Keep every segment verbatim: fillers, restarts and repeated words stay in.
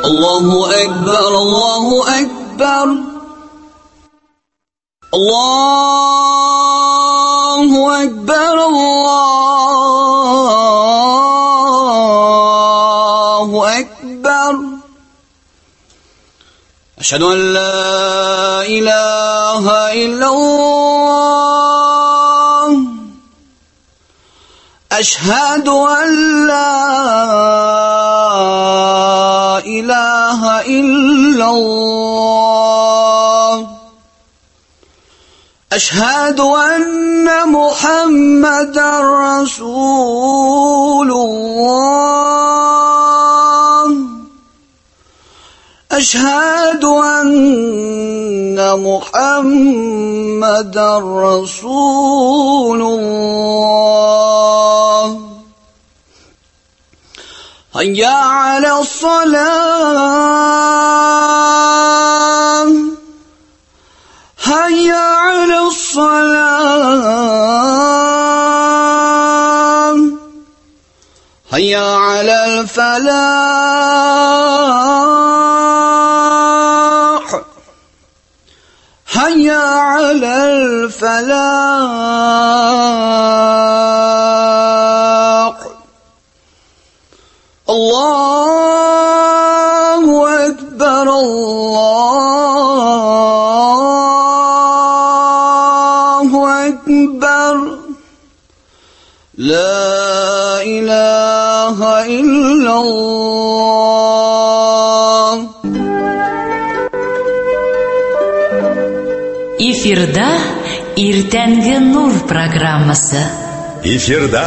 الله أكبر الله أكبر الله أكبر الله أكبر أشهد أن لا إله إلا الله أشهد أن لا إله إلا الله أشهد أن محمدا رسول الله أشهد أن محمدا رسول الله هيا على الصلاة هيا على الصلاة هيا على الفلاح هيا على الفلاح الله أكبر الله أكبر لا إله إلا الله. Эфирда Иртәнге Нур программасы. Эфирда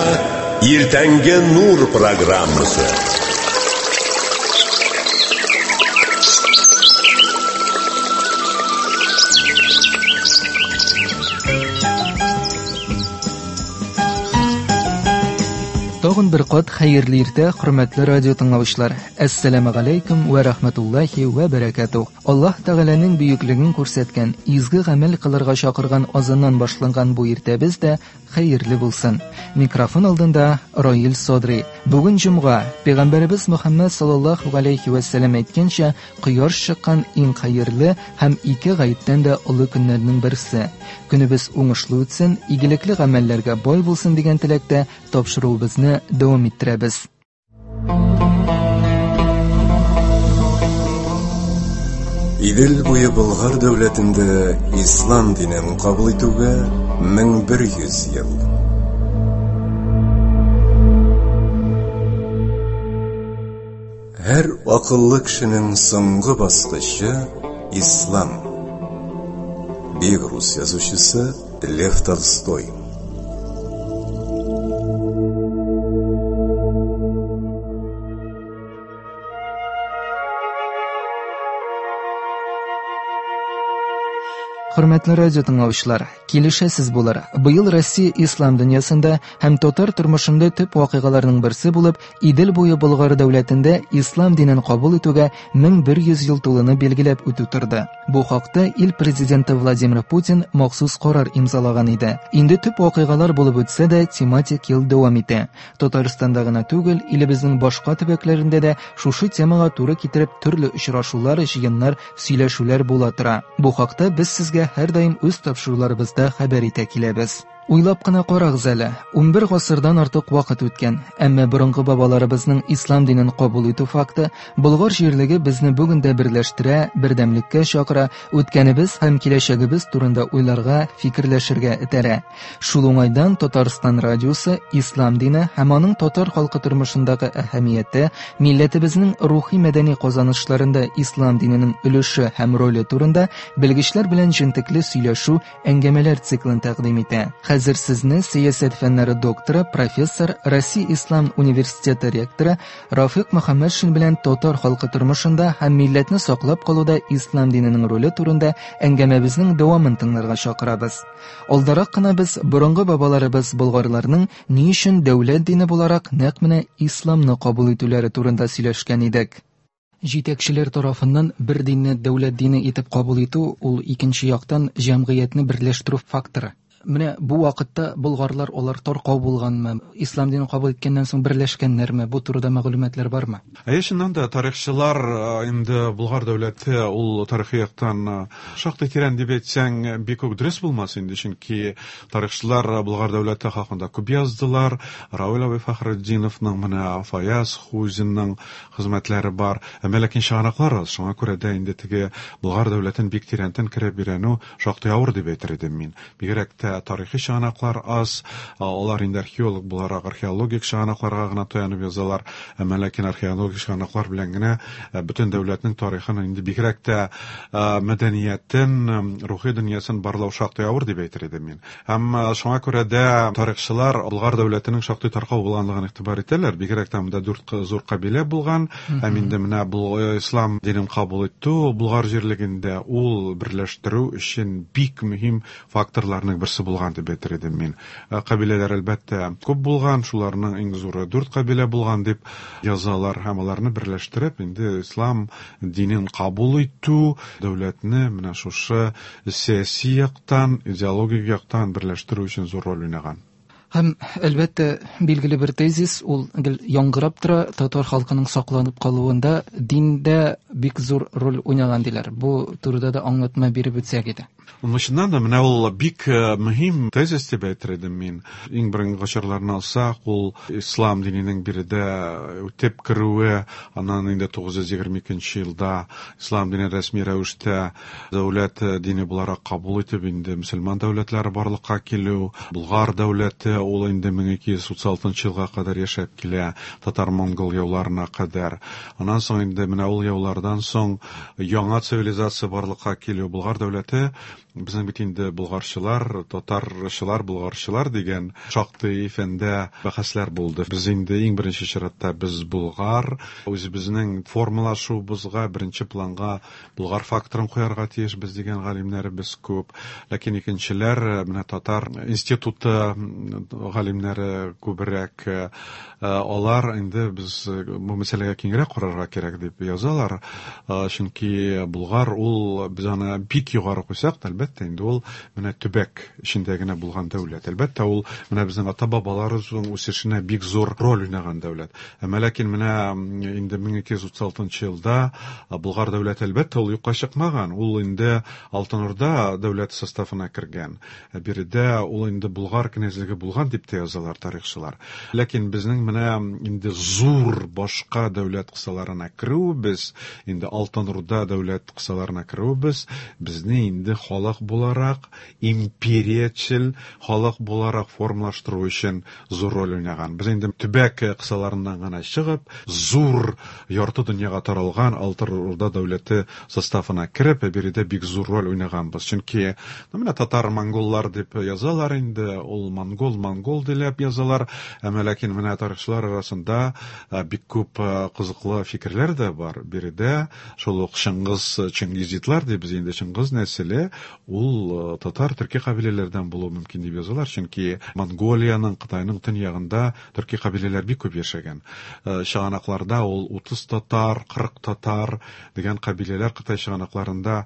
Иртәнге Нур программасы. Тагын бер кат хәерле иртә, хөрмәтле радио тыңлаучылар. Әссәламү галәйкүм вә рәхмәтуллаһи вә бәрәкәтүһ. Аллаһ Тәгаләнең бөеклеген күрсәткән, изге гамәл кылырга чакырган азаннан башланган бу иртәбез дә хәерле булсын. Микрофон алдында Раил Садри. Бүген җомга, Пәйгамбәребез Мөхәммәд саллаллаһу галәйһи вә сәлләм әйткәнчә, кояш чыккан иң хәерле һәм ике гаеттән дә олы көннәрнең берсе. Көнебез уңышлы үтсен, игелекле гамәлләргә бай булсын дигән теләктә тапшыруыбызны дәвам иттерәбез. Идел буе Болгар дәүләтендә ислам динен кабул итүгә мең бер йөз ел. Һәр акыллы кешенең соңгы баскычы ислам. Бөек рус язучысы Лев Толстой. Хөрмәтле радио тыңлаучылар, килешәсез булыр. Быел Россия ислам дөньясында һәм татар тормышында төп вакыйгаларның берсе булып, Идел буе Болгар дәүләтендә ислам динен кабул итүгә мең бер йөз ел тулуны билгеләп үтү торды. Бу хакта ил президенты Владимир Путин махсус карар имзалаган иде. Инде төп вакыйгалар булып үтсә дә, тематик ел дәвам итә. Татарстанда гына түгел, илебезнең башка төбәкләрендә дә шушы темага туры китереп төрле очрашулар, җыеннар, сөйләшүләр була тора. Бу хакта без сезгә һәр даим үз тапшыруларыбызда хәбәр итә киләбез. Уйлап кына карагыз әле, унбер гасырдан артык вакыт үткән, әмма борынгы бабаларыбызның ислам динен кабул итү факты Болгар җирлеге безне бүген дә берләштерә, бердәмлеккә чакыра, үткәнебез һәм киләчәгебез турында уйларга, фикерләшергә этәрә. Шул уңайдан Татарстан радиосы ислам дине һәм аның татар халкы тормышындагы әһәмияте, милләтебезнең рухи мәдәни казанышларында ислам диненең өлеше һәм роле турында белгечләр белән җентекле сөйләшү, әңгәмәләр циклын тәкъдим итә. Хәзер сезне сәясәт фәннәре докторы, профессор, Россия Ислам университеты ректоры Рафик Мөхәммәтшин белән татар халкы тормышында һәм милләтне саклап калуда ислам диненең роле турында әңгәмәбезнең дәвамын тыңларга чакырабыз. Алдарак кына без борынгы бабаларыбыз болгарларның ни өчен дәүләт дине буларак нәкъ менә исламны кабул итүләре турында сөйләшкән идек. Җитәкчеләр тарафыннан бер динне дәүләт дине итеп кабул итү ул икенче яктан җәмгыятьне берләштерү факторы. Менә бу вакытта болгарлар алар таркау булганмы? Ислам динен кабул иткәннән соң берләшкәннәрме? Бу турыда мәгълүматлар бармы? Әйе, чыннан да тарихчылар инде Болгар дәүләте ул тарихи яктан шактый тирән дип әйтсәң, бик үк дөрес булмас инде, чөнки тарихчылар Болгар дәүләте хакында күп яздылар. Равил абый Фәхретдиновның, менә Фаяз Хузинның хезмәтләре бар. Әмма ләкин чыганаклар аз, шуңа күрә дә инде теге Болгар дәүләтен бик тирәнтен кереп өйрәнү шактый авыр дип әйтер идем мин. Бигрәк тә тарихи чыганаклар аз, алар инде археолог буларак археологик чыганакларга гына таянып язалар. Әмма ләкин археологик чыганаклар белән генә бөтен дәүләтнең тарихын инде бигрәк тә мәдәниятен, рухи дөньясын барлау шактый авыр дип әйтер идем мин. Һәм шуңа күрә дә тарихчылар Болгар дәүләтенең шактый таркау булганлыгын игътибар итәләр. Бигрәк тә монда дүрт зур кабилә булган. Һәм инде менә бу ислам динен кабул итү Болгар җирлегендә ул берләштерү өчен бик мөһим факторларның берсе булган дип әйтер идем мин. Кабиләләр әлбәттә күп булган, шуларның иң зуры дүрт кабилә булган дип язалар һәм аларны берләштереп инде ислам динен кабул итү дәүләтне менә шушы сәяси яктан, идеологик яктан берләштерү өчен зур роль уйнаган. Һәм әлбәттә билгеле бер тезис ул гел яңгырап тора, татар халкының сакланып калуында диндә бик зур роль уйнаган диләр. Бу турыда да аңлатма биреп үтсәк иде. Чыннан да менә ул бик мөһим тезис дип әйтер идем мин. Иң беренче гасырларны алсак, ул ислам диненең биредә үтеп керүе, аннан инде тугыз йөз егерме икенче елда ислам дине рәсми рәвештә дәүләт дине буларак кабул итеп инде мөселман дәүләтләре барлыкка килү, Болгар дәүләте ул инде мең ике йөз утыз алтынчы елга кадәр яшәп килә, татар-монгол яуларына кадәр. Аннан соң инде менә ул яулардан соң яңа цивилизация барлыкка килү, Болгар дәүләте безнең бит инде болгарчылар, татарчылар, болгарчылар дигән шактый фәндә бәхәсләр булды. Без инде иң беренче чиратта без болгар, үзебезнең формалашуыбызга беренче планга болгар факторын куярга тиешбез дигән галимнәребез күп. Ләкин икенчеләр, менә татар институты галимнәре күбрәк, алар инде без бу мәсьәләгә киңрәк карарга кирәк дип язалар. Чөнки болгар ул без аны бик югары куйсак, әлбәттә инде ул менә төбәк эчендә генә булган дәүләт. Әлбәттә ул менә безнең ата-бабаларыбызның үсешенә бик зур роль уйнаган дәүләт. Әмма ләкин менә инде мең ике йөз утыз алтынчы елда Болгар дәүләте әлбәттә ул юкка чыкмаган. Ул инде Алтын Урда дәүләте составына кергән. Биредә ул инде Болгар князьлеге булган дип тә язалар тарихчылар. Ләкин безнең менә инде зур башка дәүләт кысаларына керүебез, инде Алтын Урда дәүләт кысаларына керүебез безне инде халык буларак, империячел халык буларак формалаштыру өчен зур роль уйнаган. Без инде төбәк кысаларыннан гына чыгып, зур ярты дөньяга таралган Алтын Урда дәүләте составына кереп, биредә бик зур роль уйнаганбыз. Чөнки менә татар-монголлар дип язалар инде, ул монгол, монгол дип язалар. Әмма ләкин менә тарихчылар арасында бик күп кызыклы фикерләр дә бар. Биредә шул ук Чыңгыз, Чингизидлар дибез инде, Чыңгыз нәселе ул татар төрки кабиләләрдән булуы мөмкин дип язалар, чөнки Монголиянең, Кытайның төньягында төрки кабиләләр бик күп яшәгән. Чыганакларда ул утыз татар, кырык татар дигән кабиләләр Кытай чыганакларында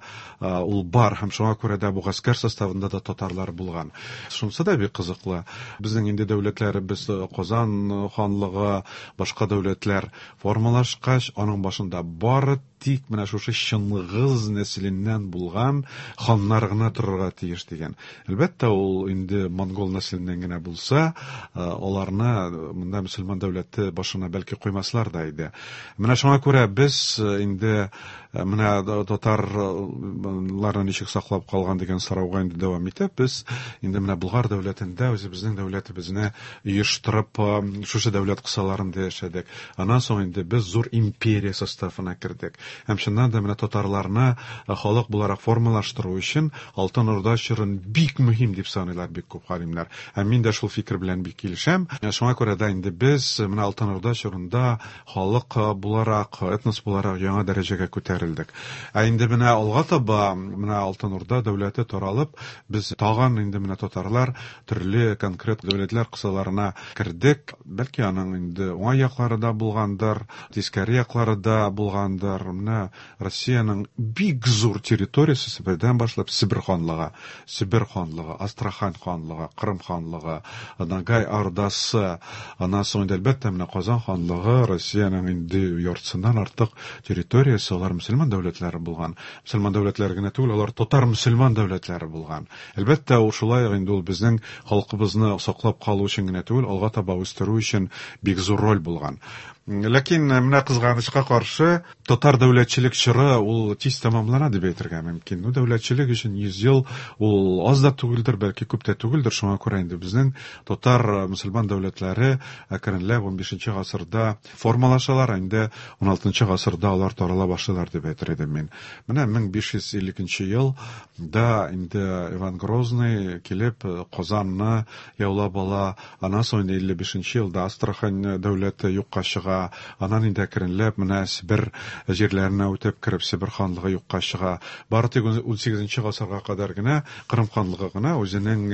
ул бар, һәм шуңа күрә дә бу гаскәр составында да татарлар булган. Шунысы да бик кызыклы. Безнең инде дәүләтләребез Казан ханлыгы, башка дәүләтләр формалашкач, аның башында бары тик менә шушы Чыңгыз нәселеннән булган ханнар гына торырга тиеш дигән. Әлбәттә, ул инде монгол нәселеннән генә булса, аларны монда мөселман дәүләте башына бәлки куймаслар да иде. Менә шуңа күрә без инде менә татарларны ничек саклап калган дигән сорауга инде дәвам итеп, без инде менә Болгар дәүләтендә үзебезнең дәүләтебезне оештырып, шушы дәүләт кысаларында яшәдек. Аннан соң инде без зур империя составына кердек. Һәм чыннан да менә татарларны халык буларак формалаштыру өчен Алтын Урда чорын бик мөһим дип саныйлар бик күп галимнәр. Һәм мин дә шул фикер белән бик килешәм. Шуңа күрә дә инде без менә Алтын Урда чорында халык буларак, этнос буларак яңа дәрәҗәгә күтәрелдек. күтәрелдек. Ә инде менә алга таба менә Алтын Урда дәүләте таралып, без тагын инде менә татарлар төрле конкрет дәүләтләр кысаларына кердек. Бәлки аның инде уңай яклары да булгандыр, тискәре яклары да булгандыр. Менә Россиянең бик зур территориясе Себердән башлап Себер ханлыгы, Себер ханлыгы, Астрахань ханлыгы, Кырым ханлыгы, Ногай Ордасы, аннан соң инде әлбәттә менә Казан ханлыгы, Россиянең инде яртысыннан артык территориясе алар мөселман дәүләтләре булган. Мөселман дәүләтләре генә түгел, алар татар мөселман дәүләтләре булган. Әлбәттә, ул шулай инде ул безнең халкыбызны саклап калу өчен генә түгел, алга таба үстерү өчен бик зур роль булган. Ләкин менә кызганычка каршы татар дәүләтчелек чоры ул тиз тәмамлана дип әйтергә мөмкин. Ну, дәүләтчелек өчен йөз ел ул аз да түгелдер, бәлки күп тә түгелдер. Шуңа күрә инде безнең татар мөселман дәүләтләре әкренләп унбишенче гасырда формалашалар, инде уналтынчы гасырда алар тарала башлыйлар дип әйтер идем мин. Менә мең биш йөз илле икенче елда инде Иван Грозный килеп Казанны яулап ала, аннан соң инде илле бишенче елда Астрахань дәүләте юкка чыга. Аннан инде әкренләп менә Себер җирләренә үтеп кереп Себер ханлыгы юкка чыга. Бары тик унсигезенче гасырга кадәр генә Кырым ханлыгы гына үзенең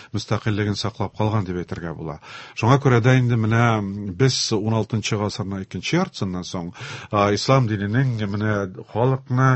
мөстәкыйльлеген саклап калган дип әйтергә була. Шуңа күрә дә инде менә без уналтынчы гасырның икенче яртысыннан соң ислам диненең менә халыкны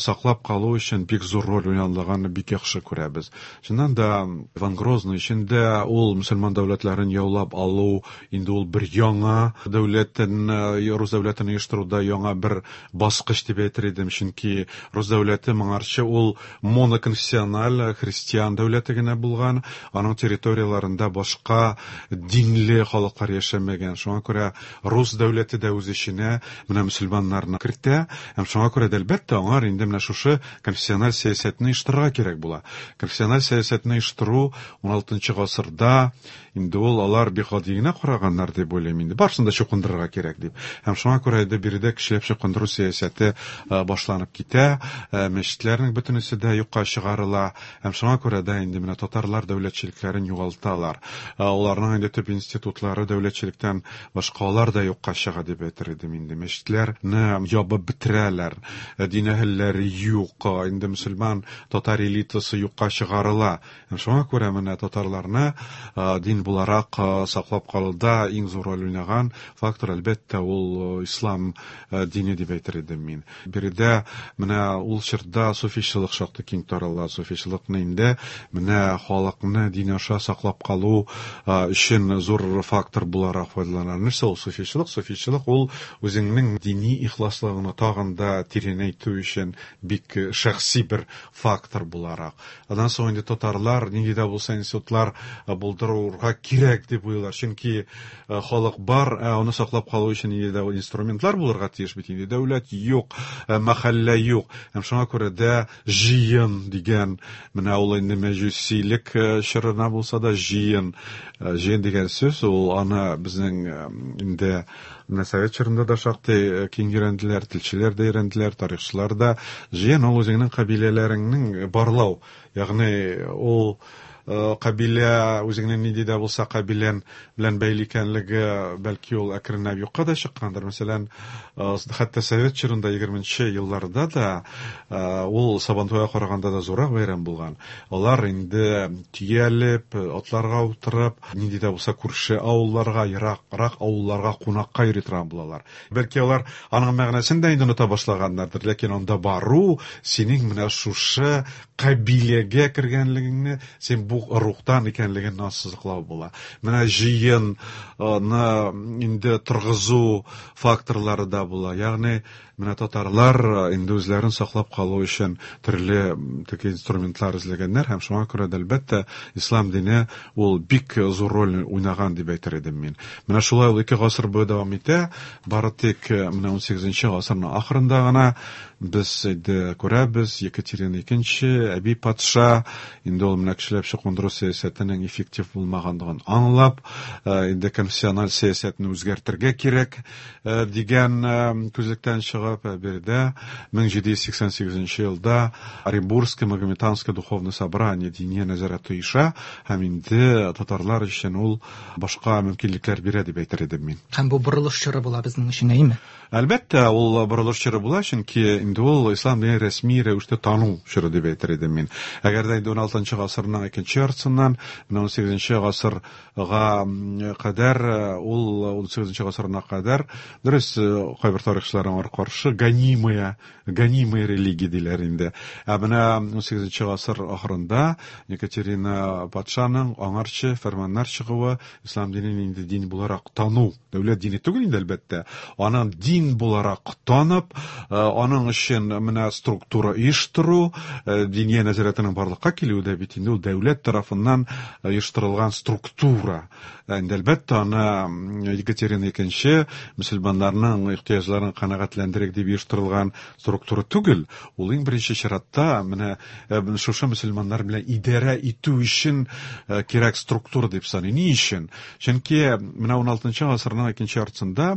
саклап калу өчен бик зур роль уйнаганлыгын бик яхшы күрәбез. Чыннан да Иван Грозный өчен дә ул мөселман дәүләтләрен яулап алу инде ул бер яңа дәүләт, Рус дәүләтен оештыруда яңа бер баскыч дип әйтер идем, чөнки Рус дәүләте моңарчы ул моноконфессиональ христиан дәүләте генә булган, аның территорияләрендә башка динле халыклар яшәмәгән. Шуңа күрә Рус дәүләте дә үз эченә менә мөселманнарны кертә, һәм шуңа күрә дә әлбәттә аңар инде менә шушы конфессиональ сәясәтне оештырырга кирәк була. Конфессиональ сәясәтне оештыру уналтынчы гасырда инде ул алар бик гади генә караганнар дип уйлыйм инде. Барысын да чукындырырга кирәк дип. Һәм шуңа күрә инде биредә кешеләп чукындыру сәясәте башланып китә, мәчетләрнең бөтенесе дә юкка чыгарыла. Һәм шуңа күрә дә инде менә татарлар дәүләтчелекләрен югалталар. Аларның инде төп институтлары дәүләтчелектән башка алар да юкка чыга дип әйтер идем инде. Мәчетләрне ябып бетерәләр, дин әһелләре юк, инде мөселман татар элитасы юкка чыгарыла. Һәм шуңа күрә менә татарларны дин буларак саклап калуда иң зур роль уйнаган фактор әлбәттә ул ислам дине дип әйтер идем мин. Биредә менә ул чорда суфичылык шактый киң тарала. Суфичылыкны инде менә халыкны дин аша саклап калу өчен зур фактор буларак файдалана. Нәрсә ул суфичылык? Суфичылык ул үзеңнең дини ихласлыгыңны тагын да тирәнәйтү өчен бик шәхси бер фактор буларак. Аннан соң инде татарлар нинди дә булса институтлар булдыруга кирәк дип уйлар. Чөнки халык бар, аны саклап калу өчен нинди дә инструментлар булырга тиеш бит инде. Дәүләт юк, мәхәллә юк. Һәм шуңа күрә дә җыен дигән, менә ул инде мәҗүсилек чорына булса да җыен, җыен дигән сүз ул аны безнең инде менә совет чорында да шактый киң өйрәнделәр, телчеләр дә өйрәнделәр, тарихчылар да. Җыен ул үзеңнең кабиләләреңнең барлау, ягъни ул кабилә үзеңнең нинди дә булса кабилән белән бәйле икәнлеге бәлки ул әкренләп юкка да чыккандыр. Мәсәлән, хәтта совет чорында егерменче елларда да ул Сабантуйга караганда да зуррак бәйрәм булган. Алар инде төялеп, атларга утырып, нинди дә булса күрше авылларга, ераграк авылларга кунакка йөри торган булалар. Бәлки алар аның мәгънәсен дә инде оныта башлаганнардыр, ләкин анда бару синең менә шушы кабиләгә кергәнлегеңне, син бу рухтан икәнлеген ассызыклау була. Менә җыенны инде торгызу факторлары да була. Ягъни менә татарлар инде үзләрен саклап калу өчен төрле теге инструментлар эзләгәннәр һәм шуңа күрә дә әлбәттә ислам дине ул бик зур роль уйнаган дип әйтер идем мин. Менә шулай ул ике гасыр буе дәвам итә. Бары тик менә унсигезенче гасырның ахырында гына без инде күрәбез Екатерина икенче әби патша инде ул менә кешеләп чукындыру сәясәтенең эффектив булмаганлыгын аңлап, инде конфессиональ сәясәтне үзгәртергә кирәк дигән күзлектән чыгып чыгып, биредә мең җиде йөз сиксән сигезенче елда Оренбургское Магометанское духовное собрание Диния нәзарәте оеша һәм инде татарлар өчен ул башка мөмкинлекләр бирә дип әйтер идем мин. Һәм бу борылыш чоры була безнең өчен, әйеме? Әлбәттә, ул борылыш чоры була, чөнки инде ул ислам динен рәсми рәвештә тану чоры дип әйтер идем мин. Әгәр дә инде ун алтынчы гасырның икенче яртысыннан менә ун сигезенче гасырга кадәр, ул ун сигезенче гасырына кадәр, дөрес, кайбер тарихчылар аңа каршы гонимая, гонимая религия диләр инде. Ә менә ун сигезенче гасыр ахырында Екатерина патшаның аңарчы фәрманнар чыгуы ислам динен инде дин буларак тану, дәүләт дине түгел инде әлбәттә, аның дин буларак танып, аның өчен менә структура оештыру, Диния нәзарәтенең барлыкка килүе дә бит инде ул дәүләт тарафыннан оештырылган структура. Инде әлбәттә аны Екатерина икенче мөселманнарның ихтыяҗларын канәгатьләндерик дип оештырылган структура түгел. Ул иң беренче чиратта менә шушы мөселманнар белән идарә итү өчен кирәк структура дип саный. Ни өчен? Чөнки менә ун алтынчы гасырның икенче яртысында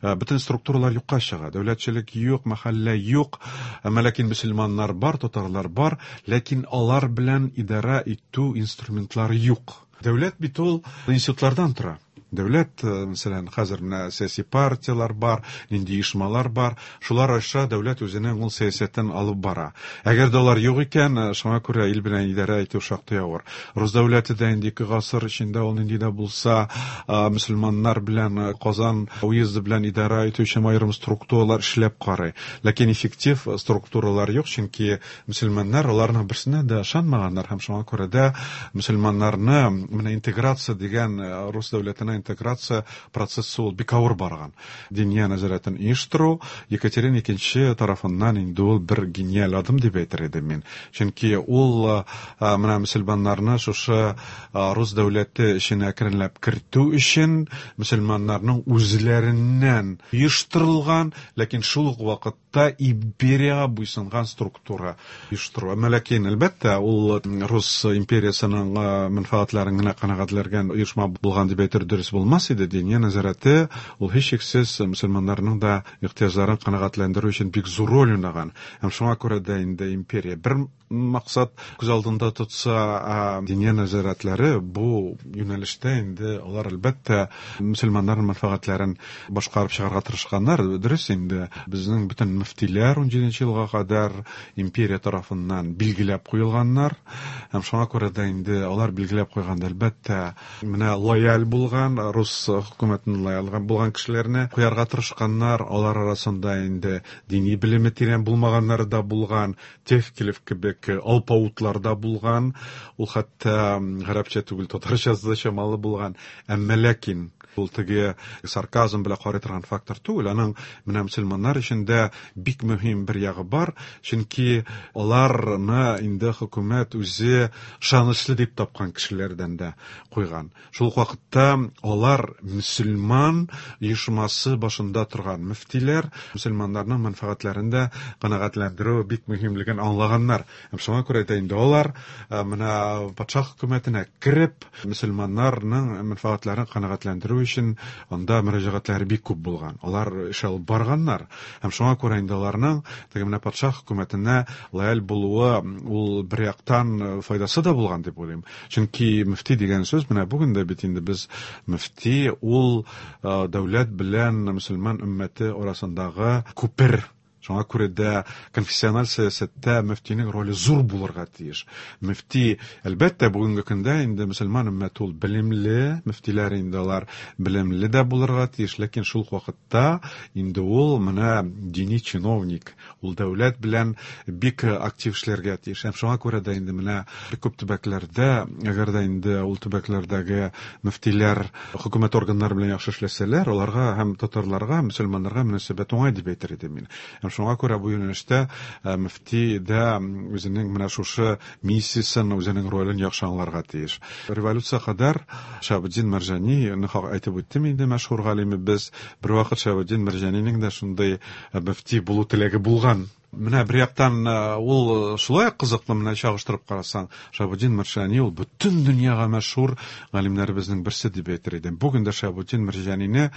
бөтен структуралар юкка чыга. Дәүләтчелек юк, мәхәллә юк, әмма ләкин мөселманнар бар, татарлар бар, ләкин алар белән идарә итү инструментлары юк. Дәүләт бит ул институтлардан тора. Дәүләт, мәсәлән, хәзер менә сәяси партиялар бар, нинди оешмалар бар, шулар аша дәүләт үзенең ул сәясәтен алып бара. Әгәр дә алар юк икән, шуңа күрә ил белән идарә итү шактый авыр. Рус дәүләте дә инде ике гасыр эчендә ул нинди дә булса мөселманнар белән Казан уезды белән идарә итү өчен аерым структуралар эшләп карый. Ләкин эффектив структуралар юк, чөнки мөселманнар аларның берсенә дә ышанмаганнар һәм шуңа күрә дә мөселманнарны менә интеграция дигән рус дәүләтенә интеграция процессы ул бик авыр барган. Диния нәзарәтен оештыру Екатерина икенче тарафыннан инде ул бер гениаль адым дип әйтер идем мин. Чөнки ул менә мөселманнарны шушы рус дәүләте эченә әкренләп кертү өчен мөселманнарның үзләреннән оештырылган, ләкин шул ук вакытта империягә буйсынган структура оештыру. Әмма ләкин әлбәттә ул рус империясының мәнфәгатьләрен генә канәгатьләндергән оешма булган дип әйтер дөрес булмас иде. Диния нәзарәте ул һичшиксез мөселманнарның да ихтыяҗларын канәгатьләндерү өчен бик зур роль уйнаган. Һәм шуңа күрә дә инде империя бер максат күз алдында тотса, диния нәзарәтләре бу юнәлештә инде алар әлбәттә мөселманнарның мәнфәгатьләрен башкарып чыгарга тырышканнар. Дөрес инде безнең бөтен мөфтиләр ун җиденче елга кадәр империя тарафыннан билгеләп куелганнар. Һәм шуңа күрә дә инде алар билгеләп куйганда әлбәттә менә лояль булган, рус хөкүмәтенә лояль булган кешеләрне куярга тырышканнар. Алар арасында инде дини белеме тирән булмаганнар да булган, Тевкелев кебек алпаутлар да булган, ул хәтта гарәпчә түгел, татарчасы да чамалы булган. Әмма ләкин ул теге сарказм белән карый торган фактор түгел. Аның менә мөселманнар өчен дә бик мөһим бер ягы бар, чөнки аларны инде хөкүмәт үзе ышанычлы дип тапкан кешеләрдән дә куйган. Шул ук вакытта алар мөселман оешмасы башында торган мөфтиләр мөселманнарның мәнфәгатьләрен дә канәгатьләндерү бик мөһимлеген аңлаганнар. Һәм шуңа күрә дә инде алар менә патша хөкүмәтенә кереп мөселманнарның мәнфәгатьләрен канәгатьләндерү өчен анда мөрәҗәгатьләре бик күп булган. Алар эш алып барганнар. Һәм шуңа күрә инде аларның теге менә патша хөкүмәтенә лояль булуы ул бер яктан файдасы да булган дип уйлыйм. Чөнки мөфти дигән сүз менә бүген дә бит инде без мөфти ул дәүләт белән мөселман өммәте арасындагы күпер. Шуңа күрә дә конфессиональ сәясәттә мөфтинең роле зур булырга тиеш. Мөфти, әлбәттә, бүгенге көндә инде мөселман өммәте ул белемле, мөфтиләр инде алар белемле дә булырга тиеш, ләкин шул ук вакытта инде ул менә дини чиновник, ул дәүләт белән бик актив эшләргә тиеш. Һәм шуңа күрә дә инде менә бик күп төбәкләрдә, әгәр дә инде ул төбәкләрдәге мөфтиләр хөкүмәт органнары белән яхшы эшләсәләр, аларга һәм татарларга, мөселманнарга мөнәсәбәт уңай дип әйтер идем мин. Һәм шуңа күрә бу юнәлештә мөфти дә үзенең менә шушы миссиясен, үзенең ролен яхшы аңларга тиеш. Революция кадәр Шаһабетдин Мәрҗани, әйтеп үттем инде, мәшһүр галимебез, бер вакыт Шаһабетдин Мәрҗанинең дә шундый мөфти булу теләге булган. Менә бер яктан ул шулай кызыклы, менә чагыштырып карасаң, Шиһабетдин Мәрҗани ул бөтен дөньяга мәшһүр галимнәребезнең берсе дип әйтер идем. Бүген дә Шиһабетдин Мәрҗанине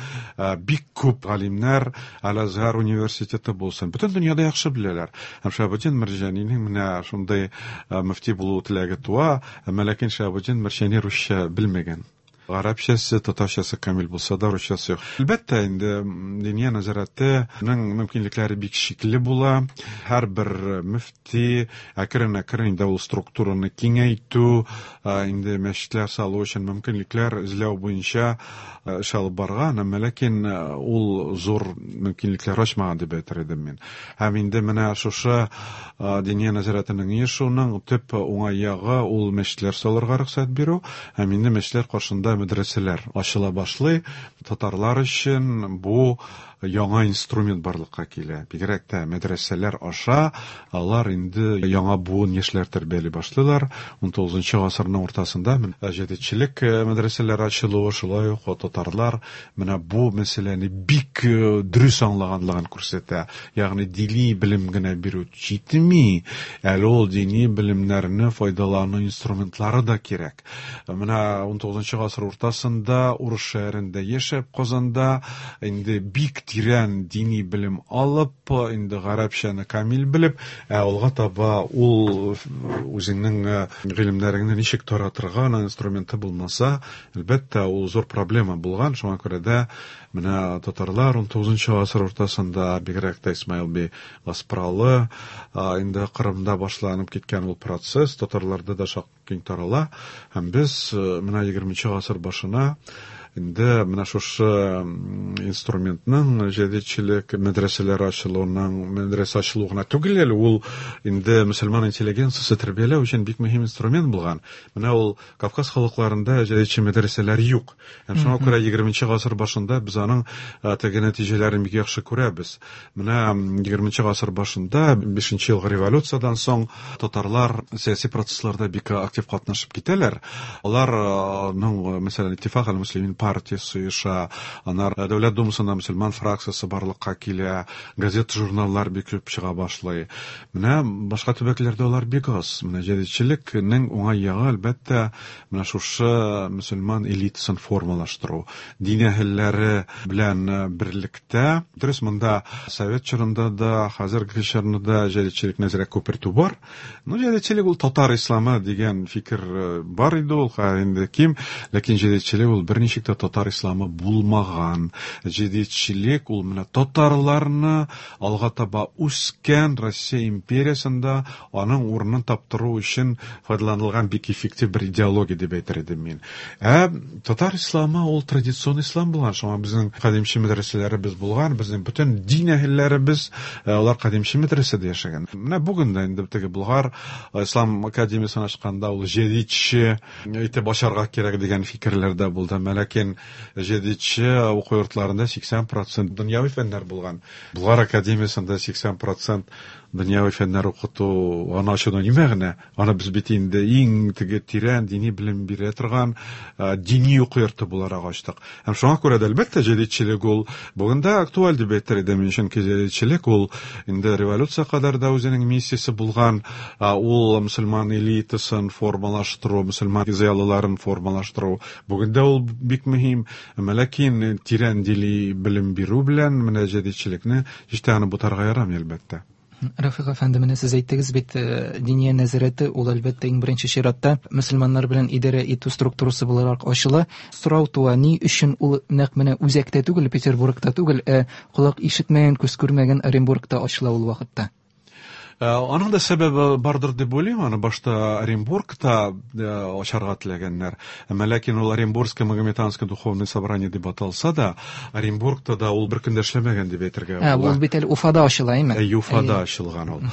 бик күп галимнәр Әл-Азһар университеты булсын, бөтен дөньяда яхшы беләләр. Һәм Шиһабетдин Мәрҗанинең менә шундый мөфти булу теләге туа, әмма ләкин Шиһабетдин Мәрҗани русча белмәгән. Гарәпчәсе, татарчасы камил булса да, русчасы юк. Әлбәттә, инде Диния нәзарәтенең мөмкинлекләре бик шикле була. Һәрбер мөфти әкрен-әкрен инде ул структураны киңәйтү, инде мәчетләр салу өчен мөмкинлекләр эзләү буенча эш алып барган, әмма ләкин ул зур мөмкинлекләр ачмаган дип әйтер идем мин. Һәм инде менә шушы Диния нәзарәтенең оешуының төп уңай ягы ул мәчетләр салырга рөхсәт бирү, һәм инде мәчетләр каршында мәдрәсәләр ачыла башлый. Татарлар өчен бу яңа инструмент барлыкка килә. Бигрәк тә мәдрәсәләр аша алар инде яңа буын яшьләр тәрбияли башлыйлар. Унтугызынчы гасырның уртасында җәдитчелек мәдрәсәләре ачылуы, шулай ук татарлар менә бу мәсьәләне бик дөрес аңлаганлыгын күрсәтә. Ягъни дини белем генә бирү җитми, әле ул дини белемнәрне файдалану инструментлары да кирәк. Менә унтугызынчы гасыр уртасында Урыс шәһәрендә яшәп, Казанда инде бик тирән дини белем алып, инде гарәпчәне камил белеп, ә алга таба ул үзеңнең гыйлемнәреңне ничек таратырга инструменты булмаса, әлбәттә, ул зур проблема булган. Шуңа күрә дә менә татарлар унтугызынчы гасыр уртасында, бигрәк тә Исмаил бей Гаспралы, инде Кырымда башланып киткән ул процесс татарларда да шактый киң тарала. Һәм без менә егерменче гасыр башына инде менә шушы инструментның җәдитчелек мәдрәсәләре ачылуының, мәдрәсә ачылу гына түгел әле, ул инде мөселман интеллигенциясе тәрбияләү өчен бик мөһим инструмент булган. Менә ул Кавказ халыкларында җәдитче мәдрәсәләр юк. Һәм шуңа күрә егерменче гасыр башында без аның теге нәтиҗәләрен бик яхшы күрәбез. Менә егерменче гасыр башында бишенче елгы революциядән соң татарлар сәяси процессларда бик актив катнашып китәләр. Аларның, мәсәлән, Иттифак әл-Муслимин партиясе оеша, анар Дәүләт Думасында мөселман фракциясе барлыкка килә, газета-журналлар бик күп чыга башлый. Менә башка төбәкләрдә алар бик аз. Менә җәдитчелекнең уңай ягы, әлбәттә, менә шушы мөселман элитасын формалаштыру, дин әһелләре белән берлектә. Дөрес, монда совет чорында да, хәзерге чорында да җәдитчелекне әзрәк күпертү бар. Ну, җәдитчелек ул татар исламы дигән фикер бар иде ул, хәзер инде ким, ләкин җәдитчелек ул берничек тә татар исламы булмаган. Җәдитчелек ул менә татарларны алга таба үскән Россия империясендә аның урынын таптыру өчен файдаланылган бик эффектив бер идеология дип әйтер идем мин. Ә татар исламы ул традицион ислам булган. Шуңа безнең кадимче мәдрәсәләребез булган, безнең бөтен дин әһелләребез алар кадимче мәдрәсәдә яшәгән. Менә бүген дә инде теге Болгар ислам академиясен ачканда ул җәдитче итеп ачарга кирәк дигән фикерләр дә булды. Ләкин җәдитче уку йортларында сиксән процент дөньяви фәннәр булган. Болгар академиясендә сиксән процент дөньяви фәннәр укыту аны ачудан ни мәгънә? Аны без бит инде иң теге тирән дини белем бирә торган дини уку йорты буларак ачтык. Һәм шуңа күрә дә, әлбәттә, җәдитчелек ул бүген дә актуаль дип әйтер идем. Чөнки җәдитчелек ул инде революция кадәр дә үзенең миссиясе булган, ул мөселман элитасын формалаштыру, мөселман зыялыларын формалаштыру. Бүген дә ул бик мөһим. Әмма ләкин тирән дини белем бирү белән менә җәдитчелекне һич тә аны бутарга ярамый, әлбәттә. Рафик әфәнде, менә сез әйттегез бит, Диния нәзарәте ул әлбәттә иң беренче чиратта мөселманнар белән идарә итү структурасы буларак ачыла. Сорау туа, ни өчен ул нәкъ менә үзәктә түгел, Петербургта түгел, ә колак ишетмәгән, күз күрмәгән Оренбургта ачыла ул вакытта? Аның да сәбәбе бардыр дип уйлыйм. Аны башта Оренбургта ачарга теләгәннәр. Әмма ләкин ул Оренбургское магометанское духовное собрание дип аталса да, Оренбургта да ул бер көндә эшләмәгән дип әйтергә була. Ул бит әле Уфада ачыла, әйме? Әйе, Уфада ачылган ул.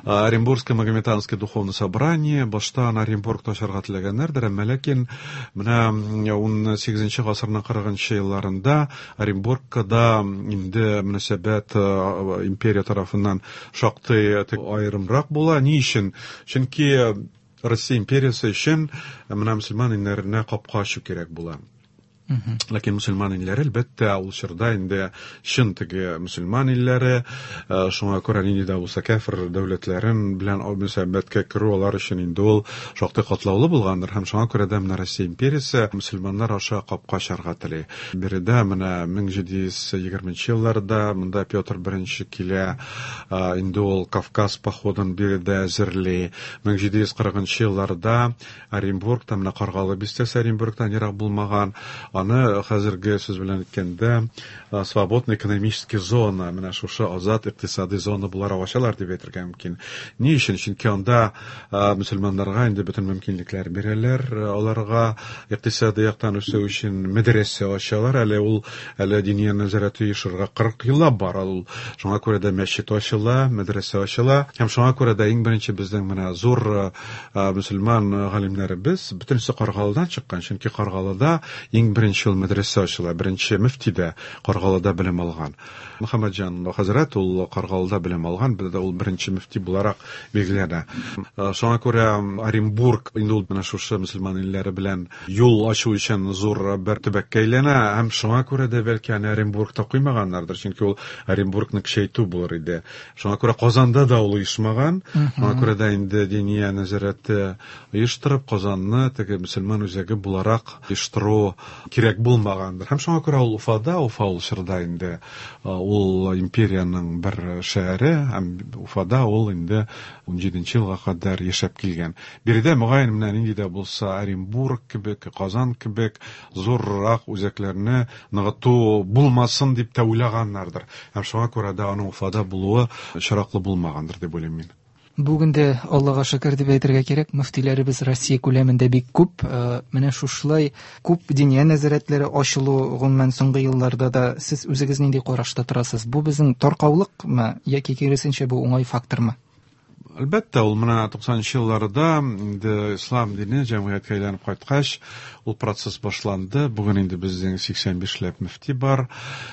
Оренбургское магометанское духовное собрание башта аны Оренбургта ачарга теләгәннәрдер, әмма ләкин менә ун сигезенче гасырның кырыгынчы елларында Оренбургка да инде мөнәсәбәт империя тарафыннан шактый аерымрак була. Ни өчен? Чөнки Россия империясе өчен менә мөселман илләренә капка ачу кирәк була. Ләкин мөселман илләре, әлбәттә, ул чорда инде чын теге мөселман илләре, шуңа күрә нинди дә булса кяфер дәүләтләрен белән мөнәсәбәткә керү алар өчен инде ул шактый катлаулы булгандыр, һәм шуңа күрә дә менә Россия империясе мөселманнар аша капка ачарга тели. Биредә менә мең җиде йөз егерменче елларда монда Петр Беренче килә, инде ул Кавказ походын биредә әзерли. Мең җиде йөз кырыгынчы елларда Оренбургта, менә Каргалы бистәсе Оренбургтан ерак булмаган, аны хәзерге сүз белән әйткәндә свободная экономическая зона, менә шушы азат икътисади зона буларак ачалар дип әйтергә мөмкин. Ни өчен? Чөнки анда мөселманнарга инде бөтен мөмкинлекләр бирәләр, аларга икътисади яктан үсү өчен мәдрәсә ачалар. Әле ул әле диния нәзарәте оешырга кырык еллап бар. Ул шуңа күрә дә мәчет ачыла, мәдрәсә ачыла. Һәм шуңа күрә дә иң беренче безнең менә зур мөселман галимнәребез бөтенесе Каргалыдан чыккан, чөнки Каргалыда иң беренче ул мәдрәсә ачыла, беренче мөфти дә Каргалыда белем алган. Мөхәммәтҗан хәзрәт ул Каргалыда белем алган, бездә ул беренче мөфти буларак билгеләнә. Шуңа күрә Оренбург инде ул менә шушы мөселман илләре белән юл ачу өчен зур бер төбәккә әйләнә, һәм шуңа күрә дә бәлки аны Оренбургта куймаганнардыр, чөнки ул Оренбургны көчәйтү булыр иде. Шуңа күрә Казанда да ул оешмаган, шуңа күрә дә инде диния нәзарәте оештырып Казанны теге мөселман үзәге буларак оештыру кирәк булмагандыр. Һәм шуңа күрә ул Уфада, Уфа ул чорда инде ул империянең бер шәһәре, һәм Уфада ул инде ун җиденче елга кадәр яшәп килгән. Биредә мөгаен менә нинди дә булса Оренбург кебек, Казан кебек зуррак үзәкләрне ныгыту булмасын дип тә уйлаганнардыр. Һәм шуңа күрә дә аның Уфада булуы очраклы булмагандыр дип уйлыйм мин. Бүген дә Аллага шөкер дип әйтергә кирәк, мөфтиләребез Россия күләмендә бик күп. Менә шушылай күп диния нәзарәтләре ачылу гомумән соңгы елларда да сез үзегез нинди карашта торасыз? Бу безнең таркаулыкмы яки киресенчә бу уңай фактормы? Әлбәттә, ул менә туксанынчы елларда инде ислам дине җәмгыятькә әйләнеп кайткач, ул процесс башланды. Бүген инде безнең сиксән бишләп мөфти бар.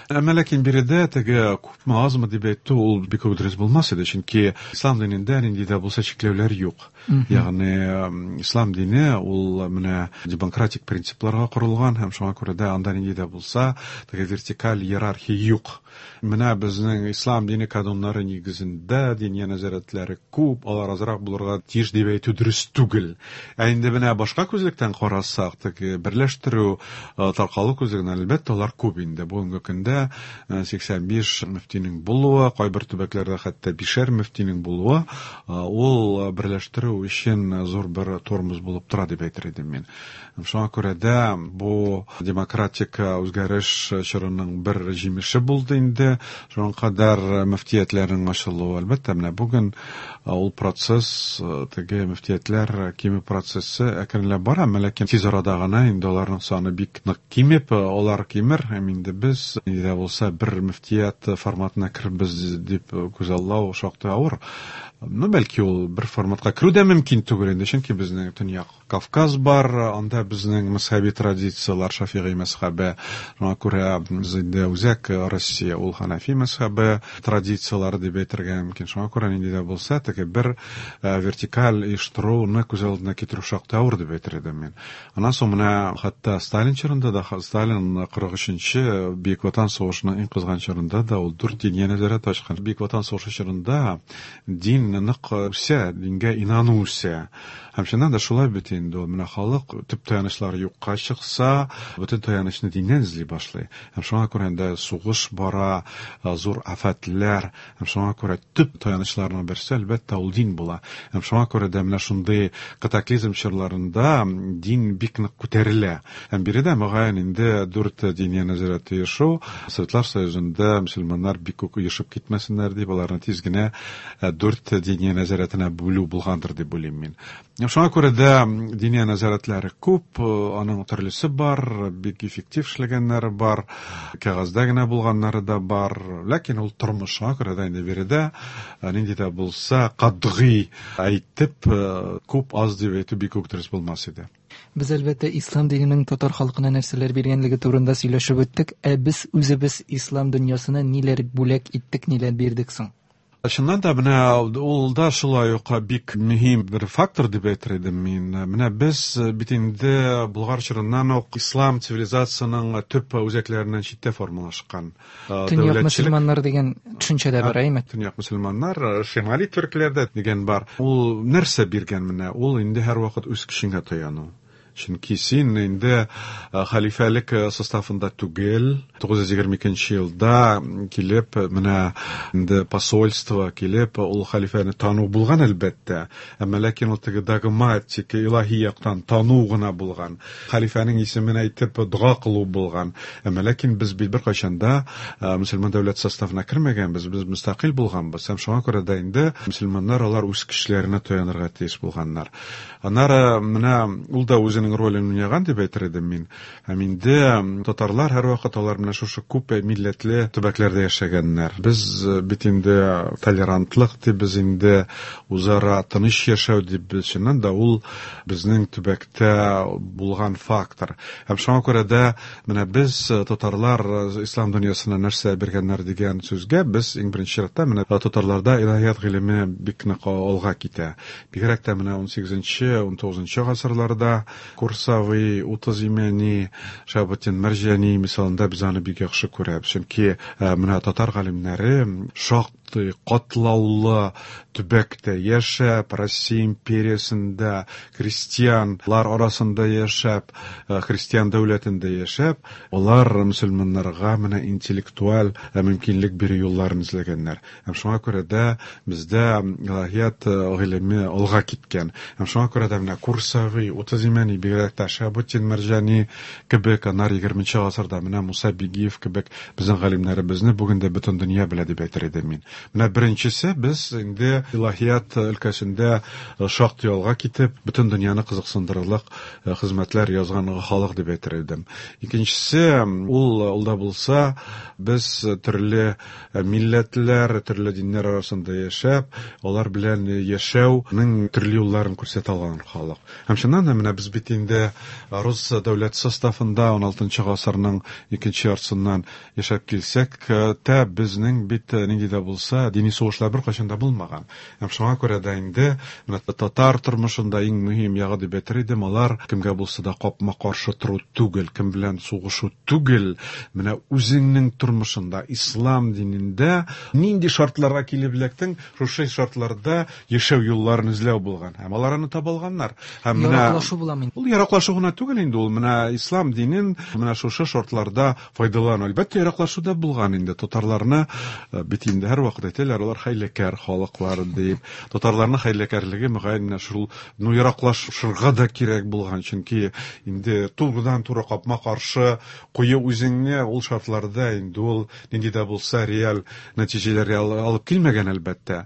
Әмма ләкин биредә теге күпме азмы дип әйтү ул бик үк дөрес булмас иде, чөнки ислам динендә нинди дә булса чикләүләр юк. Ягъни ислам дине ул менә демократик принципларга корылган, һәм шуңа күрә дә анда нинди дә булса теге вертикаль иерархия юк. Менә безнең ислам дине кануннары нигезендә диния нәзарәтләре күп, алар азрак булырга тиеш дип әйтү дөрес түгел. Ә инде менә башка күзлектән карасак, теге берләштерү, таркалу күзлегеннән әлбәттә алар күп инде. Бүгенге көндә сиксән биш мөфтинең булуы, кайбер төбәкләрдә хәтта бишәр мөфтинең булуы, ул берләштерү өчен зур бер тормоз булып тора дип әйтер идем мин. Шуңа күрә дә бу демократик үзгәреш чорының бер җимеше булды инде. Шуңа кадәр мөфтиятләрнең ачылуы, әлбәттә, менә бүген ул процесс, теге мөфтиятләр кимү процессы әкренләп бара, әмма ләкин тиз арада гына инде аларның саны бик нык кимеп, алар кимер, һәм инде без нинди дә булса бер мөфтият форматына керербез дип күзаллау шактый авыр. Ну, бәлки ул бер форматка керү дә мөмкин түгел инде, чөнки безнең Төньяк Кавказ бар, анда безнең мәзһәби традицияләр, Шафигый мәзһәбе, шуңа күрә без инде үзәк Россия ул Ханафи мәзһәбе традицияләре дип әйтергә мөмкин. Шуңа күрә нинди дә булса теге бер вертикаль оештыруны күз алдына китерү шактый авыр дип әйтер идем мин. Аннан соң менә хәтта Сталин чорында да, Сталин кырык өченче Бөек Ватан сугышының иң кызган чорында да ул дүрт диния нәзарәте ачкан. Бөек Ватан сугышы чорында дин нык үсә, дингә инану үсә. Һәм чыннан да шулай бит инде ул, менә халык төп таянычлары юкка чыкса, бөтен таянычны диннән эзли башлый. Һәм шуңа күрә инде сугыш бара, зур афәтләр, һәм шуңа күрә төп таянычларның берсе әлбәттә ул дин була. Һәм шуңа күрә дә менә шундый катаклизм чорларында дин бик нык күтәрелә. Һәм биредә мөгаен инде дүрт диния нәзарәте оешу, Советлар Союзында мөселманнар бик күп оешып китмәсеннәр дип, аларны тиз генә дүрт диния нәзарәтенә бүлү булгандыр дип уйлыйм мин. Шуңа күрә дә диния нәзарәтләре күп, аның төрлесе бар, бик эффектив эшләгәннәре бар, кәгазьдә генә булганнары да бар, ләкин ул тормыш, шуңа күрә дә инде биредә нинди дә булса катгый әйтеп, күп аз дип әйтү бик үк дөрес булмас иде. Без әлбәттә ислам диненең татар халкына нәрсәләр биргәнлеге турында сөйләшеп үттек. Ә без үзебез ислам дөньясына ниләр бүләк иттек, ниләр бирдек соң? Чыннан да менә ул да шулай ук бик мөһим бер фактор дип әйтер идем мин. Менә без бит инде Болгар чорыннан ук ислам цивилизациясының төп үзәкләреннән читтә формалашкан. Төньяк мөселманнар дигән төшенчә дә бар, әйме? Төньяк мөселманнар, шимали төркләрдә дигән бар. Ул нәрсә биргән менә? Ул инде һәрвакыт үз көчеңә таяну. Чөнки син инде хәлифәлек составында түгел, тугыз йөз егерме икенче елда килеп, менә инде посольство килеп, ул хәлифәне тану булган әлбәттә, әмма ләкин ул теге догматик, илаһи яктан тану гына булган. Хәлифәнең исемен әйтеп дога кылу булган. Әмма ләкин без бит беркайчан да мөселман дәүләт составына кермәгәнбез, без мөстәкыйль булганбыз. Һәм шуңа күрә дә инде мөселманнар алар үз көчләренә таянырга тиеш булганнар. Аннары менә ул да үзенең ролен уйнаган дип әйтер идем мин. Һәм инде татарлар һәрвакыт алар менә шушы күп милләтле төбәкләрдә яшәгәннәр. Без бит инде толерантлык дип, без инде үзара тыныч яшәү дип, чыннан да ул безнең төбәктә булган фактор. Һәм шуңа күрә дә менә без татарлар ислам дөньясына нәрсә биргәннәр дигән сүзгә без иң беренче чиратта менә татарларда илаһият гыйлеме бик нык алга китә. Бигрәк тә менә унсигезенче, унтугызынчы гасырларда Курсави, Утыз Имәни, Шәһабетдин Мәрҗани мисалында без аны бик яхшы күрәбез. Чөнки менә татар галимнәре шактый катлаулы төбәктә яшәп, Россия империясендә крестьянлар арасында яшәп, христиан дәүләтендә яшәп, алар мөселманнарга менә интеллектуаль мөмкинлек бирү юлларын эзләгәннәр. Һәм шуңа күрә дә бездә илаһият гыйлеме алга киткән. Һәм шуңа күрә дә менә Курсави, Утыз Имәни, бигрәк тә Шәһабетдин Мәрҗани кебек, аннары егерменче гасырда менә Муса Бигиев кебек безнең галимнәребезне бүген дә бөтен дөнья белә дип әйтер идем мин. Менә беренчесе, без инде илаһият өлкәсендә шактый алга китеп, бөтен дөньяны кызыксындырырлык хезмәтләр язган халык дип әйтер идем. Икенчесе, ул, ул да булса, без төрле милләтләр, төрле диннәр арасында яшәп, алар белән яшәүнең төрле юлларын күрсәтә алган халык. Һәм чыннан да менә без бит инде рус дәүләт составында уналтынчы гасырның икенче яртысыннан яшәп килсәк, тә безнең бит нинди дә булса дини сугышлар беркайчан да булмаган. Һәм шуңа күрә дә инде менә татар тормышында иң мөһим ягы дип әйтер идем, алар кемгә булса да капма-каршы тору түгел, кем белән сугышу түгел, менә үзеңнең тормышында, ислам динендә нинди шартларга килеп эләктең, шушы шартларда яшәү юлларын эзләү булган. Һәм алар аны таба алганнар. Һәм менә яраклашу буламы? Ул яраклашу гына түгел инде, ул менә ислам динен менә шушы шартларда файдалану. Әлбәттә, яраклашу да булган инде. Татарларны бит инде һәрвакыт әйтәләр, алар хәйләкәр халыклар дип. Татарларның хәйләкәрлеге мөгаен менә шул, ну, яраклашырга да кирәк булган, чөнки инде турыдан-туры капма-каршы кую үзеңне ул шартларда инде ул нинди дә булса реаль нәтиҗәләргә алып килмәгән әлбәттә.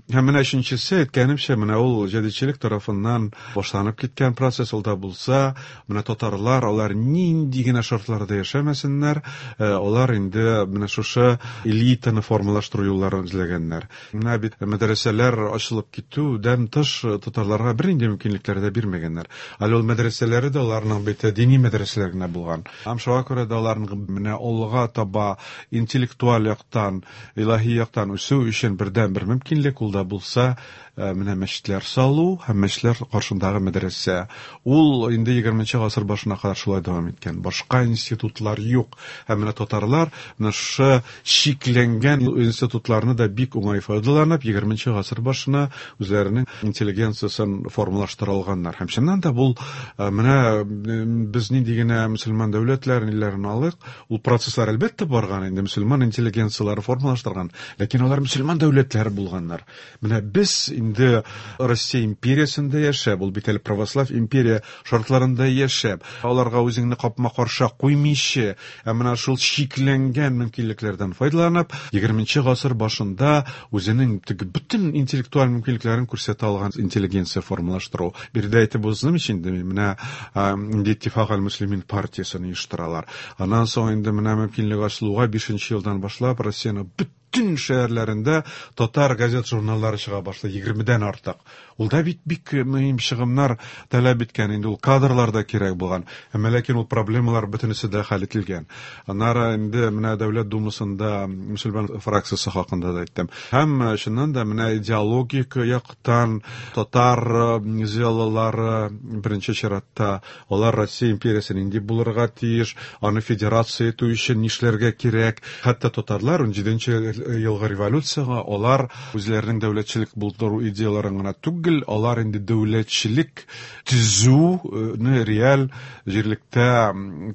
Һәм менә өченчесе, әйткәнемчә, менә ул җәдитчелек тарафыннан башланып киткән процесс, ул да булса, менә татарлар, алар нинди генә шартларда яшәмәсеннәр, алар инде менә шушы элитаны формалаштыру юлларын эзләгәннәр. Менә бит мәдрәсәләр ачылып китүдән тыш татарларга бернинди мөмкинлекләр дә бирмәгәннәр. Әле ул мәдрәсәләре дә аларның бит дини мәдрәсәләр генә булган. Һәм шуңа күрә дә аларның менә алга таба интеллектуаль яктан, илаһи яктан үсү өчен бердәнбер мөмкинлек ул да булса менә мәчетләр салу һәм мәчетләр каршындагы мәдрәсә. Ул инде егерменче гасыр башына кадәр шулай дәвам иткән. Башка институтлар юк. Һәм менә татарлар менә шушы чикләнгән институтларны да бик уңай файдаланып, егерменче гасыр башына үзләренең интеллигенциясен формалаштыра алганнар. Һәм чыннан да бу менә без нинди генә мөселман дәүләтләрен, илләрен алыйк, ул процесслар әлбәттә барган инде, мөселман интеллигенцияләре формалаштырган, ләкин алар мөселман дәүләтләре булганнар. Менә без инде Россия империясендә яшәп, ул бит әле православ империя шартларында яшәп, аларга үзеңне капма-каршы куймыйча, ә менә шул чикләнгән мөмкинлекләрдән файдаланып, егерменче гасыр башында үзенең теге бөтен интеллектуаль мөмкинлекләрен күрсәтә алган интеллигенция формалаштыру. Биредә әйтеп узным өчен инде менә инде Иттифак аль-Муслимин партиясен оештыралар. Аннан соң инде менә мөмкинлек ачылуга бишенче елдан башлап Россияне бөтен бөтен шәһәрләрендә татар газет журналлары чыга башлый, егермедән артык. Ул да бит бик мөһим чыгымнар таләп иткән, инде ул кадрлар да кирәк булган. Әмма ләкин ул проблемалар бөтенесе дә хәл ителгән. Аннары инде менә Дәүләт Думасында мөселман фракциясе хакында да әйттем. Һәм чыннан да менә идеологик яктан татар зыялылары беренче чиратта алар Россия империясе нинди булырга тиеш, аны федерация итү өчен нишләргә кирәк. Хәтта татарлар унҗиденче елгы революцияга алар үзләренең дәүләтчелек булдыру идеяларын гына түгел, алар инде дәүләтчелек төзүне реаль җирлектә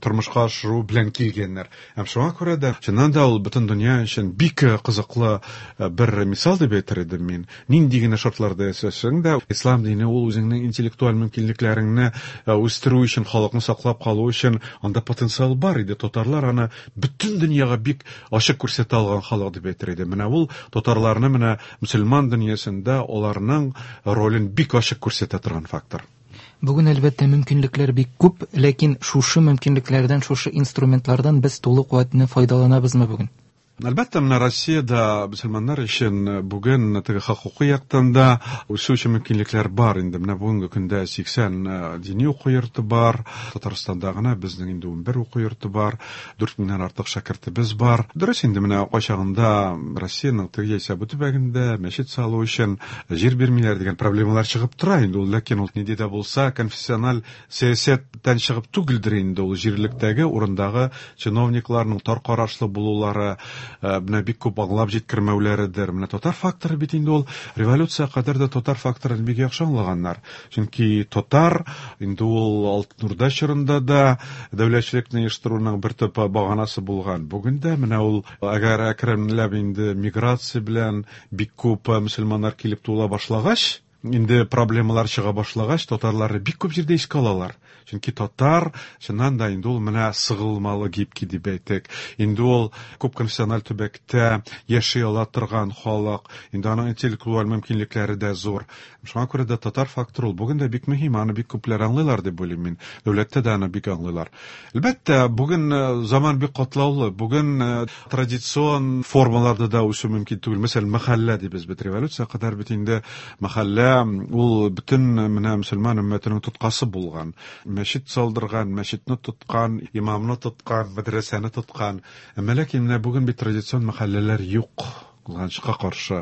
тормышка ашыру белән килгәннәр. Һәм шуңа күрә дә чыннан да ул бөтен дөнья өчен бик кызыклы бер мисал дип әйтер идем мин. Нинди генә шартларда яшәсәң дә, ислам дине ул үзеңнең интеллектуаль мөмкинлекләреңне үстерү өчен, халыкны саклап калу өчен анда потенциал бар иде. Татарлар аны бөтен дөньяга бик ачык күрсәтә алган халык дип әйтер идем. Менә ул татарларны менә мөселман дөньясында аларның ролен бик ачык күрсәтә торган фактор. Бүген әлбәттә мөмкинлекләр бик күп, ләкин шушы мөмкинлекләрдән, шушы инструментлардан без тулы куәтенә файдаланабызмы бүген? Әлбәттә, менә Россиядә мөселманнар өчен бүген теге хокукый яктан да үсү өчен мөмкинлекләр бар инде. Менә бүгенге көндә сиксән дини уку йорты бар. Татарстанда гына безнең инде унбер уку йорты бар. Дүрт меңнән артык шәкертебез бар. Дөрес инде менә кайчагында Россиянең теге яисә бу төбәгендә мәчет салу өчен җир бирмиләр дигән проблемалар чыгып тора инде ул, ләкин ул нинди дә булса конфессиональ сәясәттән чыгып түгелдер инде ул, җирлектәге урындагы чиновникларның тар карашлы булулары, менә бик күп аңлап җиткермәүләредер. Менә татар факторы бит инде ул революция кадәр дә татар факторын бик яхшы аңлаганнар. Чөнки татар инде ул Алтын Урда чорында да дәүләтчелекне оештыруның бер төп баганасы булган. Бүген дә менә ул әгәр әкренләп инде миграция белән бик күп мөселманнар килеп тула башлагач, инде проблемалар чыга башлагач, татарларны бик күп җирдә искә алалар. Чөнки татар чыннан да инде ул менә сыгылмалы гибкий дип әйтик. Инде ул күп конфессиональ төбәктә яши ала торган халык, инде аның интеллектуаль мөмкинлекләре дә зур. Шуңа күрә дә татар факторы ул бүген дә бик мөһим, аны бик күпләр аңлыйлар дип уйлыйм мин. Дәүләттә дә аны бик аңлыйлар. Әлбәттә, бүген заман бик катлаулы. Бүген традицион формаларда да үсү мөмкин түгел. Мәсәлән, мәхәллә дибез бит, революция кадәр бит инде мәхәллә ул бөтен менә мөселман өммәтенең тоткасы булган. Мәчет салдырган, мәчетне тоткан, имамны тоткан, мәдрәсәне тоткан. Әмма ләкин менә бүген бит традицион мәхәлләләр юк. Кызганычка каршы.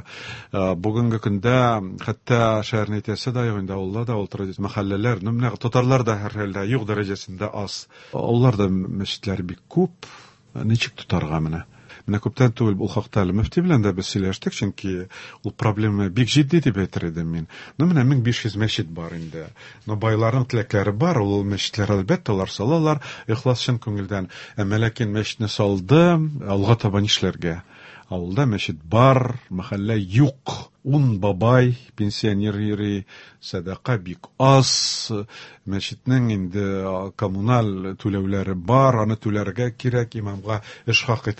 Бүгенге көндә хәтта шәһәрне әйтәсе дә юк инде, авылда да ул традицион мәхәлләләр, ну менә татарлар да һәрхәлдә юк дәрәҗәсендә аз. Авылларда мәчетләр бик күп. Ничек тотарга менә? Менә күптән түгел ул хакта әле мөфти белән дә без сөйләштек, чөнки ул проблема бик җитди дип әйтер идем мин. Ну менә мең биш йөз мәчет бар инде. Но байларның теләкләре бар, ул мәчетләр әлбәттә алар салалар, ихлас чын күңелдән. Әмма ләкин мәчетне салды, алга таба нишләргә? Авылда мәчет бар, мәхәллә юк. Ун бабай, пенсионер йөри, сәдака бик аз, мәчетнең инде коммуналь түләүләре бар, аны түләргә кирәк, имамга эш хакы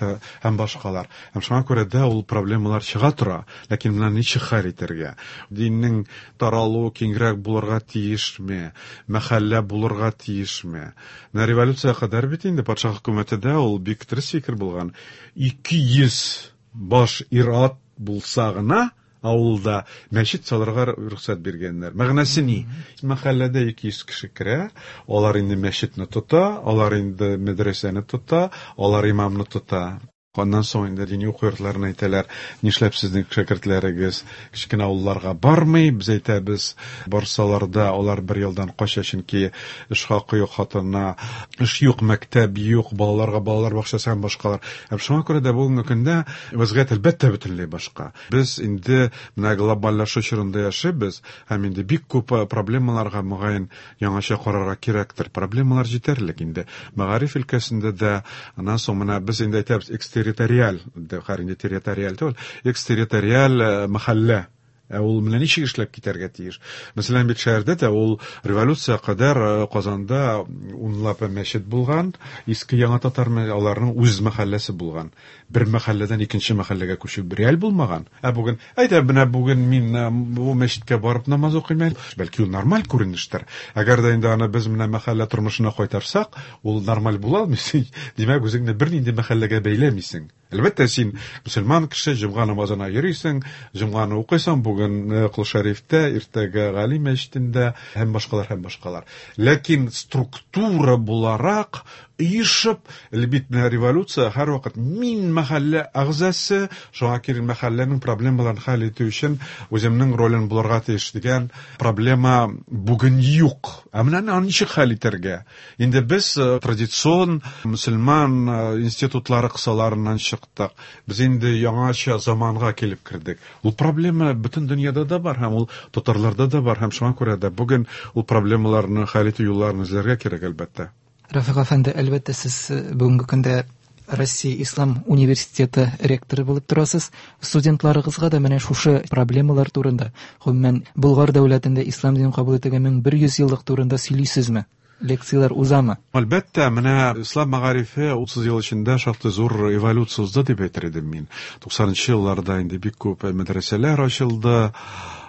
һәм башкалар. Һәм шуңа күрә дә ул проблемалар чыга тора. Ләкин менә ничек хәл итәргә? Диннең таралуы киңрәк булырга тиешме? Мәхәллә булырга тиешме? Менә революция кадәр бит инде патша хөкүмәте дә ул бик дөрес фикер булган. Ике йөз баш ир-ат булса гына авылда мәчет салырга рөхсәт биргәннәр. Мәгънәсе ни? Мәхәлләдә ике йөз кеше керә, алар инде мәчетне тота, алар инде мәдрәсәне тота, алар имамны тота. Аннан соң инде дини уку йортларына әйтәләр, нишләп сезнең шәкертләрегез кечкенә авылларга бармый? Без әйтәбез, барсалар да алар бер елдан кача, чөнки эш хакы юк, хатынына эш юк, мәктәп юк, балаларга балалар бакчасы һәм башкалар. Һәм шуңа күрә дә бүгенге көндә вазгыять әлбәттә бөтенләй башка. Без инде менә глобальлашу чорында яшибез һәм инде бик күп проблемаларга мөгаен яңача карарга кирәктер. Проблемалар җитәрлек инде. Мәгариф өлкәсендә дә, аннан соң менә без инде әйтәбез, экстерриториаль, хәр инде территориаль түгел, экстерриториаль мәхәллә. Ә ул менә ничек эшләп китәргә тиеш? Мәсәлән, бит шәһәрдә дә ул революция кадәр Казанда унлап мәчет булган, иске яңа татар аларның үз мәхәлләсе булган. Бер мәхәлләдән икенче мәхәлләгә күчү реаль булмаган. Ә бүген, әйдә, менә бүген мин бу мәчеткә барып намаз укыйм әле. Бәлки ул нормаль күренештер. Әгәр дә инде аны без менә мәхәллә тормышына кайтарсак, ул нормаль була алмый. Димәк, үзеңне бернинди мәхәлләгә бәйләмисең. Әлбәттә, син мөселман кеше, җомга намазына йөрисең, җомганы укыйсың, бүген Кол Шәрифтә, иртәгә Гали мәчетендә һәм башкалар һәм башкалар. Ләкин структура буларак оешып, бит менә революция һәрвакыт мин мәхәллә әгъзасы, шуңа күрә мәхәлләнең проблемаларын хәл итү өчен үземнең ролен булырга тиеш дигән проблема бүген юк. Ә менә аны ничек хәл итәргә? Инде без традицион мөселман институтлары кысаларыннан чыктык. Без инде яңача заманга килеп кердек. Ул проблема бөтен дөньяда да бар һәм ул татарларда да бар һәм шуңа күрә дә бүген ул проблемаларны хәл итү юлларын эзләргә кирәк, әлбәттә. Рафик әфәнде, әлбәттә, сез бүгенге көндә Россия Ислам университеты ректоры булып торасыз. Студентларыгызга да менә шушы проблемалар турында, гомумән, Болгар дәүләтендә ислам динен кабул итүгә мең бер йөз еллык турында сөйлисезме? Лекциялар узамы? Әлбәттә, менә ислам мәгарифе утыз ел эчендә шактый зур эволюция узды дип әйтер идем мин. Туксанынчы елларда инде бик күп мәдрәсәләр ачылды.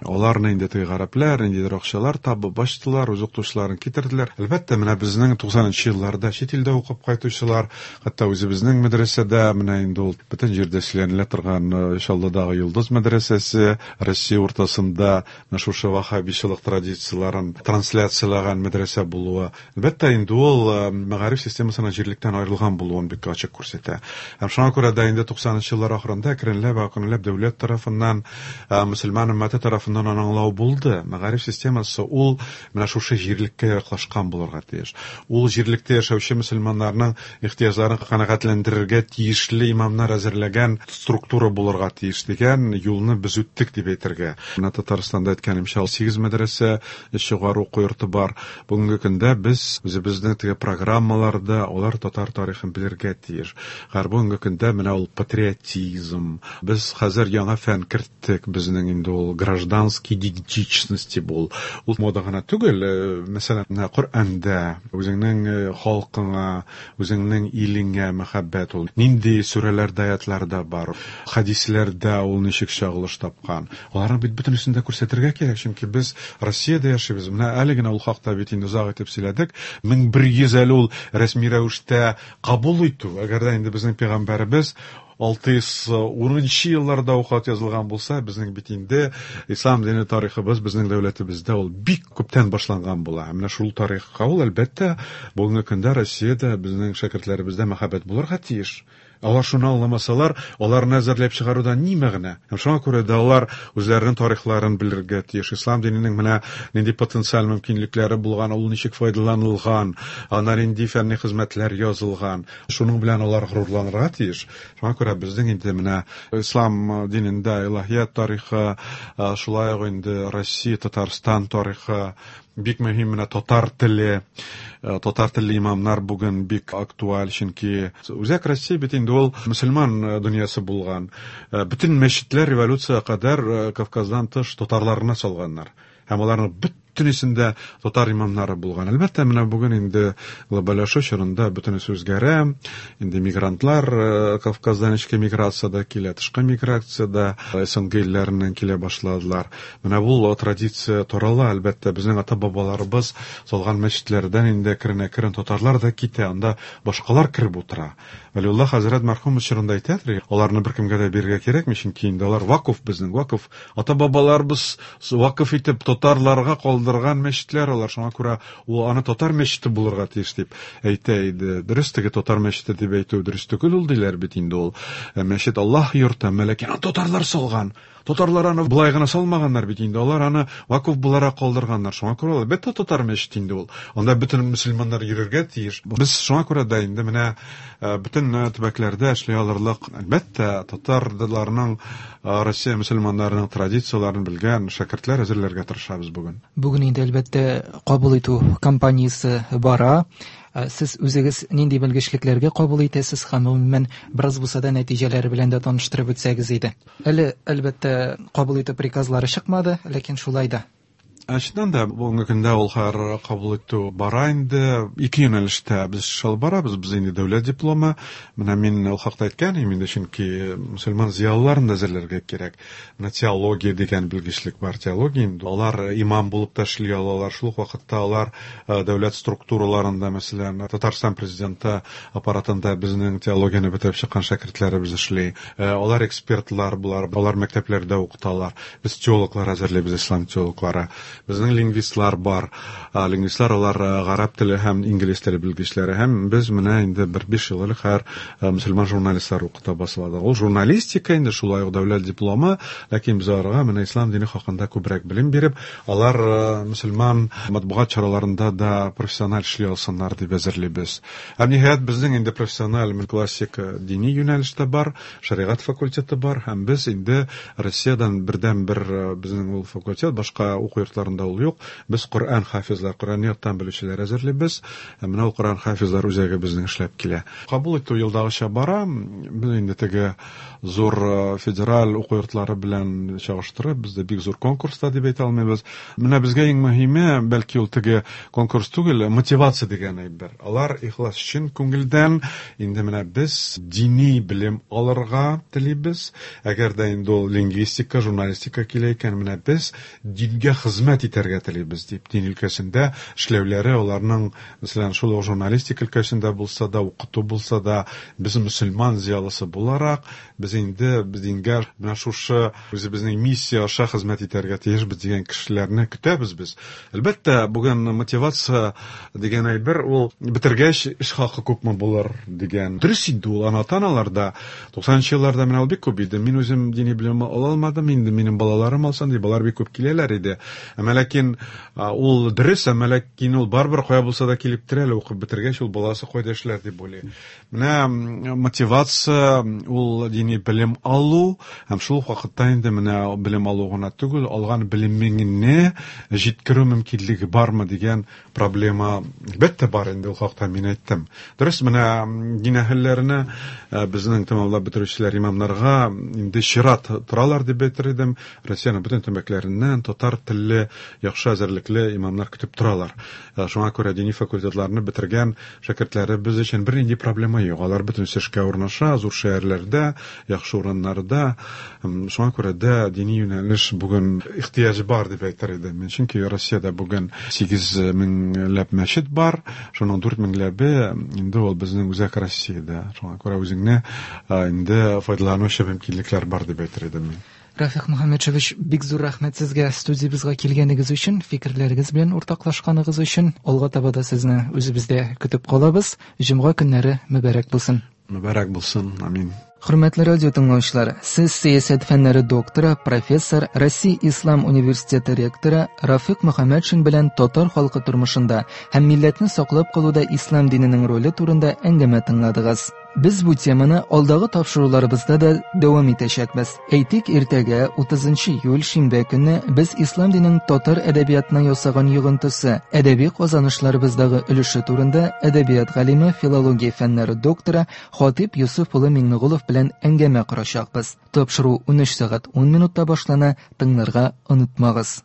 Аларны инде теге гарәпләр, ниндидер акчалар табып ачтылар, үз укытучыларын китерделәр. Әлбәттә, менә безнең туксанынчы елларда чит илдә укып кайтучылар, хәтта үзебезнең мәдрәсәдә, менә инде ул бөтен җирдә сөйләнелә торган Чаллыдагы Йолдыз мәдрәсәсе, Россия уртасында менә шушы ваһһабичылык традицияләрен трансляцияләгән мәдрәсә булуы, әлбәттә, инде ул мәгариф системасына җирлектән аерылган булуын бик ачык күрсәтә. Һәм шуңа күрә дә инде туксанынчы еллар ахырында әкренләп, әкренләп дәүләт тарафыннан, мөселман өммәте тарафыннан аңлау булды. Мәгариф системасы ул менә шушы җирлеккә яраклашкан булырга тиеш. Ул җирлектә яшәүче мөселманнарның ихтыяҗларын канәгатьләндерергә тиешле имамнар әзерләгән структура булырга тиеш дигән юлны без үттек дип әйтергә. Менә Татарстанда әйткәнемчә, сигез мәдрәсә, өч югары уку йорты бар. Бүгенге көндә без үзебезнең теге программаларда алар татар тарихын белергә тиеш. Һәр бүгенге көндә менә ул патриотизм. Без хәзер яңа фән керттек, безнең инде ул гражданский идентичности бул. Ул мода гына түгел, мәсәлән, менә Коръәндә үзеңнең халкыңа, үзеңнең илеңә мәхәббәт ул. Нинди сүрәләрдә, аятларда бар, хадисләрдә ул ничек чагылыш тапкан. Аларны бит бөтенесен дә күрсәтергә кирәк, чөнки без Россиядә яшибез. Менә әле генә ул хакта бит инде озак итеп сөйләдек. Мең бер йөз әле ул рәсми рәвештә кабул итү. Әгәр дә инде безнең пәйгамбәребез алты йөз унынчы елларда ук хат язылган булса, безнең бит инде ислам дине тарихыбыз безнең дәүләтебездә ул бик күптән башланган була. Менә шул тарихка ул, әлбәттә, бүгенге көндә Россиядә безнең шәкертләребездә мәхәббәт булырга тиеш. Алар шуны аңламасалар, аларны әзерләп чыгарудан ни мәгънә? Һәм шуңа күрә дә алар үзләренең тарихларын белергә тиеш. Ислам диненең менә нинди потенциаль мөмкинлекләре булган, ул ничек файдаланылган, ана нинди фәнни хезмәтләр язылган. Шуның белән алар горурланырга тиеш. Шуңа күрә безнең инде менә ислам динендә илаһият тарихы, шулай ук инде Россия, Татарстан тарихы бик мөһим. Менә татар теле, татар телле имамнар бүген бик актуаль, чөнки Үзәк Россия бит инде ул мөселман дөньясы булган. Бөтен мәчетләр революция кадәр Кавказдан тыш татарларына салганнар. Һәм аларның бөтенесендә татар имамнары булган. Әлбәттә, менә бүген инде глобальләшү чорында бөтенесе үзгәрә. Инде мигрантлар Кавказдан эчке миграция да килә, тышкы миграция да С Н Г илләреннән килә башладылар. Менә бу традиция тарала, әлбәттә, безнең ата-бабаларыбыз салган мәчетләрдән инде әкрен-әкрен татарлар да китә, анда башкалар кереп утыра. Вәлиулла хәзрәт мәрхүм чорында әйтәдер, аларны беркемгә дә бирергә кирәкми, чөнки инде алар вакыф, безнең вакыф, ата-бабаларыбыз вакыф итеп татарларга калдырган мәчетләр алар, шуңа күрә ул аны татар мәчете булырга тиеш дип әйтә иде. Дөрес, теге татар мәчете дип әйтү дөрес түгел ул, диләр бит инде ул. Мәчет Аллаһ йорты, ләкин аны татарлар салган. Татарлар аны болай гына салмаганнар бит инде, алар аны вакыф буларак калдырганнар. Шуңа күрә әлбәттә татар мәчете инде ул. Анда бөтен мөселманнар йөрергә тиеш. Без шуңа күрә дә инде менә бөтен төбәкләрдә эшли алырлык, әлбәттә, татарларның, Россия мөселманнарының традицияләрен белгән шәкертләр әзерләргә тырышабыз бүген. Бүген инде әлбәттә кабул итү кампаниясе бара. Сез үзегез нинди белгечлекләргә кабул итәсез һәм гомумән бераз булса да нәтиҗәләре белән дә таныштырып үтсәгез иде. Әле әлбәттә кабул итү приказлары чыкмады, ләкин шулай да. Ә чыннан да бүгенге көндә ул хәр кабул итү бара инде. Ике юнәлештә без эш алып барабыз. Без инде дәүләт дипломы. Менә мин ул хакта әйткән идем инде, чөнки мөселман зыялыларын да әзерләргә кирәк. Менә теология дигән белгечлек бар. Теология инде алар имам булып та эшли алалар. Шул ук вакытта алар дәүләт структураларында, мәсәлән, Татарстан президенты аппаратында безнең теологияне бетереп чыккан шәкертләребез эшли. Алар экспертлар булар, алар мәктәпләрдә укыталар. Без теологлар әзерлибез, ислам теологлары. Безнең лингвистлар бар. Лингвистлар алар гарәп теле һәм инглиз теле белгечләре. Һәм без менә инде бер биш ел элек һәр мөселман журналистлар укыта башладык. Ул журналистика инде шулай ук дәүләт дипломы, ләкин без аларга менә ислам дине хакында күбрәк белем биреп, алар мөселман матбугат чараларында да профессиональ эшли алсыннар дип әзерлибез. Һәм ниһаять безнең инде профессиональ классик дини юнәлештә бар, шәригать факультеты бар, һәм без инде Россиядән бердән бер безнең ул факультет, башка уку йортларында ул юк. Без Коръән хафизлар, Коръән яттан белүчеләр әзерлибез. Һәм менә ул Коръән хафизлар үзәге безнең эшләп килә. Кабул итү елдагыча бара. Без инде теге зур федераль уку йортлары белән чагыштырып, бездә бик зур конкурста дип әйтә алмыйбыз. Менә безгә иң мөһиме, бәлки ул теге конкурс түгел, мотивация дигән әйбер. Алар ихлас чын күңелдән инде менә без дини белем алырга телибез. Әгәр дә инде ул лингвистика, журналистика килә икән, менә без дингә хезмәт итәргә телибез дип, дин өлкәсендә эшләүләре аларның, мәсәлән, шул ук журналистика өлкәсендә булса да, укыту булса да, без мөселман зыялысы буларак, без инде без дингә менә шушы үзебезнең миссия аша хезмәт итәргә тиешбез дигән кешеләрне көтәбез без. Әлбәттә, бүген мотивация дигән әйбер ул бетергәч эш хакы күпме булыр дигән. Дөрес инде ул ана-аналарда туксанынчы елларда менә ул бик күп иде. Мин үзем дини белем ала алмадым, инде минем балаларым алсын дип, алар бик күп киләләр иде. Әмма ләкин ул дөрес, әмма ләкин ул барыбер кая булса да килеп терәле, укып бетергәч ул баласы кайда эшләр дип уйлый. Менә мотивация ул дини белем алу һәм шул ук вакытта инде менә белем алу гына түгел, алган белемеңне җиткерү мөмкинлеге бармы дигән проблема әлбәттә бар инде, ул хакта мин әйттем. Дөрес, менә дин әһелләренә безнең тәмамлап бетерүчеләр имамнарга инде чират торалар дип әйтер идем. Россиянең бөтен төбәкләреннән татар телле яхшы әзерлекле имамнар көтеп торалар. Шуңа күрә дини факультетларны бетергән шәкертләребез өчен бернинди проблема юк. Алар бөтен эшкә урнаша, зур шәһәрләрдә, яхшы урыннарда. Шуңа күрә дә дини юнәлеш бүген ихтыяҗ бар дип әйтер идем. Чөнки Россиядә бүген сигез меңләп мәчет бар, шуның дүрт меңләбе инде ул безнең үзәк Россиядә. Шуңа күрә үзеңне инде файдаланучы мөмкинлекләр бар дип әйтер идем мин. Рафик Мөхәммәтшевич, бик зур рәхмәт сезгә студиябезгә килгәнегез өчен, фикерләрегез белән уртаклашканыгыз өчен. Алга таба да сезне үзебездә көтеп калабыз. Җомга көннәре мөбарәк булсын. Мөбарәк булсын. Амин. Хөрмәтле радио тыңлаучылар, сез сәясәт фәннәре докторы, профессор, Россия Ислам университеты ректоры Рафик Мөхәммәтшин белән татар халкы тормышында һәм милләтне саклап калуда ислам диненең роле турында әңгәмә тыңладыгыз. Без бу теманы алдагы тапшыруларыбызда да дәвам итәчәкбез. Әйтик, иртәгә утызынчы июль шимбә көне без ислам диненең татар әдәбиятына ясаган йогынтысы, әдәби казанышларыбыздагы өлеше турында әдәбият галиме, филология фәннәре докторы Хатип Юсуф улы Миңнегулов белән әңгәмә корачакбыз. Тапшыру унөч сәгать ун минутта башлана, тыңларга онытмагыз.